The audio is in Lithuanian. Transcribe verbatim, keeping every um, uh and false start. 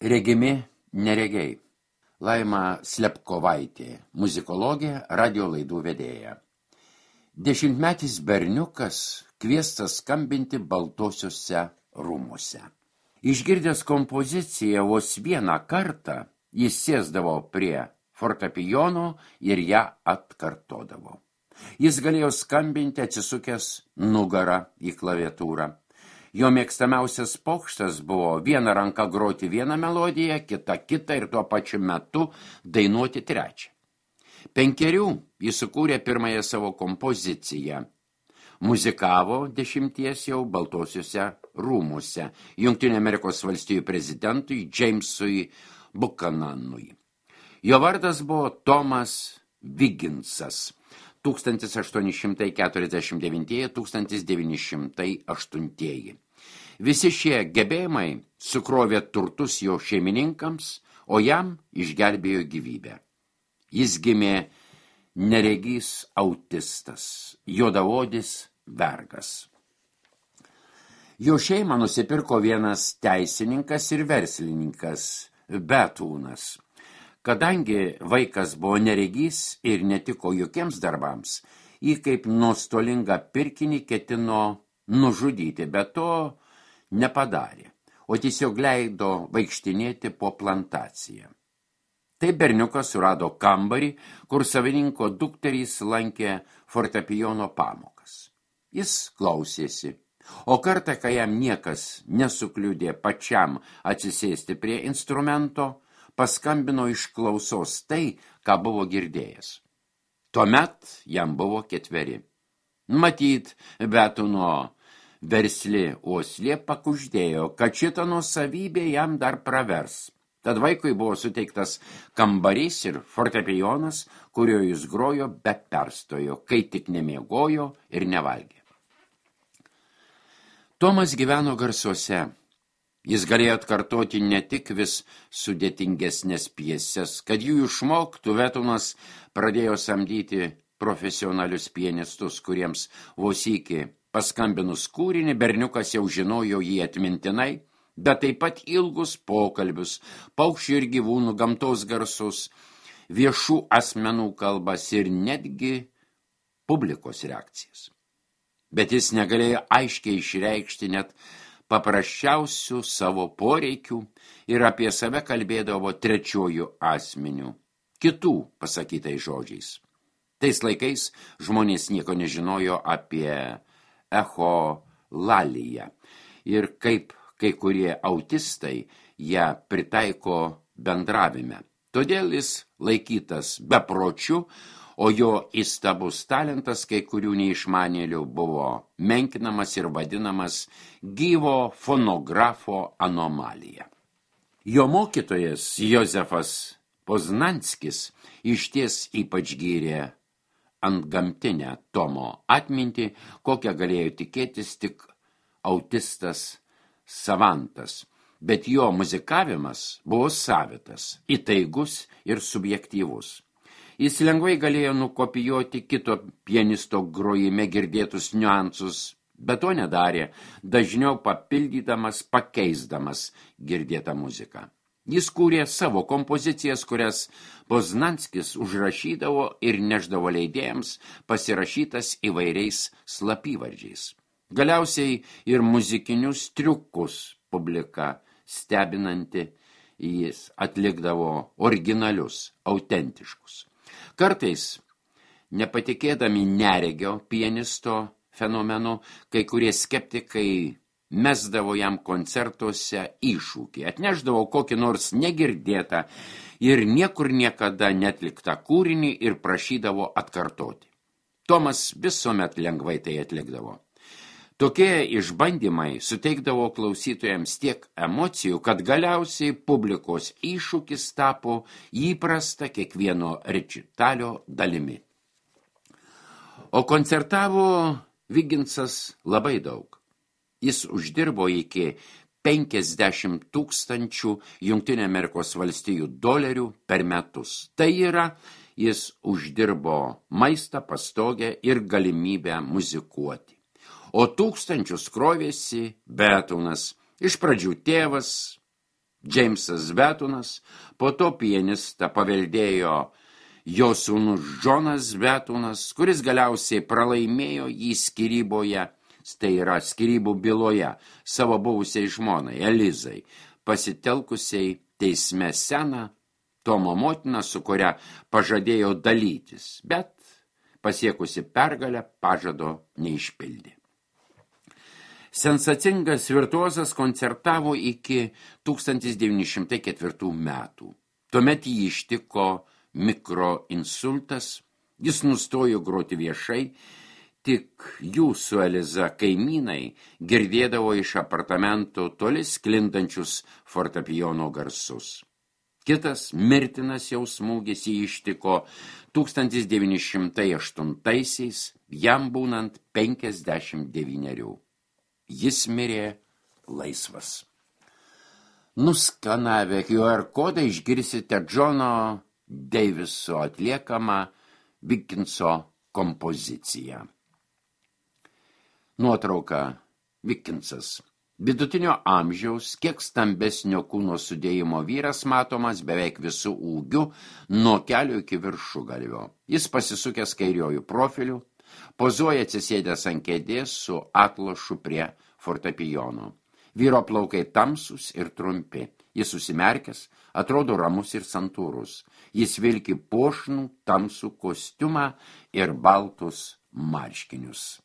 Regimi neregiai. Laima Slepkovaitė, muzikologė, radio laidų vedėja. Dešimtmetis berniukas kviestas skambinti Baltuosiuose rūmuose. Išgirdęs kompoziciją vos vieną kartą, jis sėsdavo prie fortepijono ir ją atkartodavo. Jis galėjo skambinti atsisukęs nugarą į klaviatūrą. Jo mėgstamiausias pokštas buvo viena ranka groti vieną melodiją, kita kitą ir tuo pačiu metu dainuoti trečią. Penkerių jis sukūrė pirmąją savo kompoziciją. Muzikavo dešimties jau Baltuosiuose rūmuose Jungtinių Amerikos valstijų prezidentui Jamesui Buchananui. Jo vardas buvo Tomas Vigginsas. tūkstantis aštuoni šimtai keturiasdešimt devinti - tūkstantis devyni šimtai aštunti. Visi šie gebėjimai sukrovė turtus jo šeimininkams, o jam išgelbėjo gyvybę. Jis gimė neregys autistas, juodaodis vergas. Jo šeimą nusipirko vienas teisininkas ir verslininkas Betūnas. Kadangi vaikas buvo neregys ir netiko jokiems darbams, jį kaip nuostolingą pirkinį ketino nužudyti, bet to nepadarė, o tiesiog leido vaikštinėti po plantaciją. Tai berniukas surado kambarį, kur savininko dukterys lankė fortepijono pamokas. Jis klausėsi, o kartą, kai jam niekas nesukliudė pačiam atsisėsti prie instrumento, paskambino iš klausos tai, ką buvo girdėjęs. Tuomet jam buvo ketveri. Matyt, Betūno versli uoslė pakuždėjo, kad šita nuosavybė jam dar pravers. Tad vaikui buvo suteiktas kambarys ir fortepijonas, kurio jis grojo be perstojo, kai tik nemiegojo ir nevalgė. Tomas gyveno garsuose. Jis galėjo atkartoti ne tik vis sudėtingesnės pjeses, kad jų išmoktų, Betūnas pradėjo samdyti profesionalius pianistus, kuriems vos iki paskambinus kūrinį berniukas jau žinojo jį atmintinai, bet taip pat ilgus pokalbius, paukščių ir gyvūnų, gamtos garsus, viešų asmenų kalbas ir netgi publikos reakcijas. Bet jis negalėjo aiškiai išreikšti net paprasčiausių savo poreikių ir apie save kalbėdavo trečiojų asmenių, kitų pasakytai žodžiais. Tais laikais žmonės nieko nežinojo apie echolaliją ir kaip kai kurie autistai ją pritaiko bendravime. Todėl jis laikytas bepročiu, o jo įstabus talentas kai kurių neišmanėlių buvo menkinamas ir vadinamas gyvo fonografo anomalija. Jo mokytojas Jozefas Poznanskis išties ypač gyrė antgamtinę Tomo atmintį, kokią galėjo tikėtis tik autistas savantas, bet jo muzikavimas buvo savitas, įtaigus ir subjektyvus. Jis lengvai galėjo nukopijuoti kito pianisto grojime girdėtus niuansus, bet to nedarė, dažniau papildydamas, pakeisdamas girdėtą muziką. Jis kūrė savo kompozicijas, kurias Poznanskis užrašydavo ir neždavo leidėjams pasirašytas įvairiais slapyvardžiais. Galiausiai ir muzikinius triukus publika stebinanti jis atlikdavo originalius, autentiškus. Kartais, nepatikėdami neregio pianisto fenomenu, kai kurie skeptikai mesdavo jam koncertuose iššūkį, atnešdavo kokį nors negirdėtą ir niekur niekada netliktą kūrinį ir prašydavo atkartoti. Tomas visuomet lengvai tai atlikdavo. Tokie išbandymai suteikdavo klausytojams tiek emocijų, kad galiausiai publikos iššūkis tapo įprasta kiekvieno rečitalio dalimi. O koncertavo Vigginsas labai daug. Jis uždirbo iki penkiasdešimt tūkstančių Jungtinių Amerikos valstijų dolerių per metus. Tai yra, jis uždirbo maistą, pastogę ir galimybę muzikuoti. O tūkstančius krovėsi Betūnas, iš pradžių tėvas, Džeimsas Betonas, po to pianistą paveldėjo jo sūnus Džonas Betonas, kuris galiausiai pralaimėjo jį skyryboje, tai yra skyrybų byloje, savo buvusiai žmonai Elizai, pasitelkusiai teisme seną Tomo motiną, su kuria pažadėjo dalytis, bet pasiekusi pergalę pažado neišpildė. Sensacingas virtuozas koncertavo iki tūkstantis devyni šimtai ketvirtų metų. Tuomet jį ištiko mikroinsultas, jis nustojo groti viešai, tik jų su Eliza kaimynai girdėdavo iš apartamento toli sklindančius fortepijono garsus. Kitas mirtinas jau smūgis jį ištiko tūkstantis devyni šimtai aštuntaisiais, jam būnant penkiasdešimt devynerių. Jis mirė laisvas. Nuskanavę Q R kodą išgirsite Džono Deiviso atliekamą Vikinso kompoziciją. Nuotrauka Vikinsas. Vidutinio amžiaus, kiek stambesnio kūno sudėjimo vyras matomas beveik visų ūgių nuo kelio iki viršugalvio. Jis pasisukęs kairiojų profilių, pozuoja atsisėdęs ant kėdės su atlošu prie fortepijono. Vyro plaukai tamsus ir trumpi. Jis susimerkęs, atrodo ramus ir santūrus. Jis vilki puošnų tamsų kostiumą ir baltus marškinius.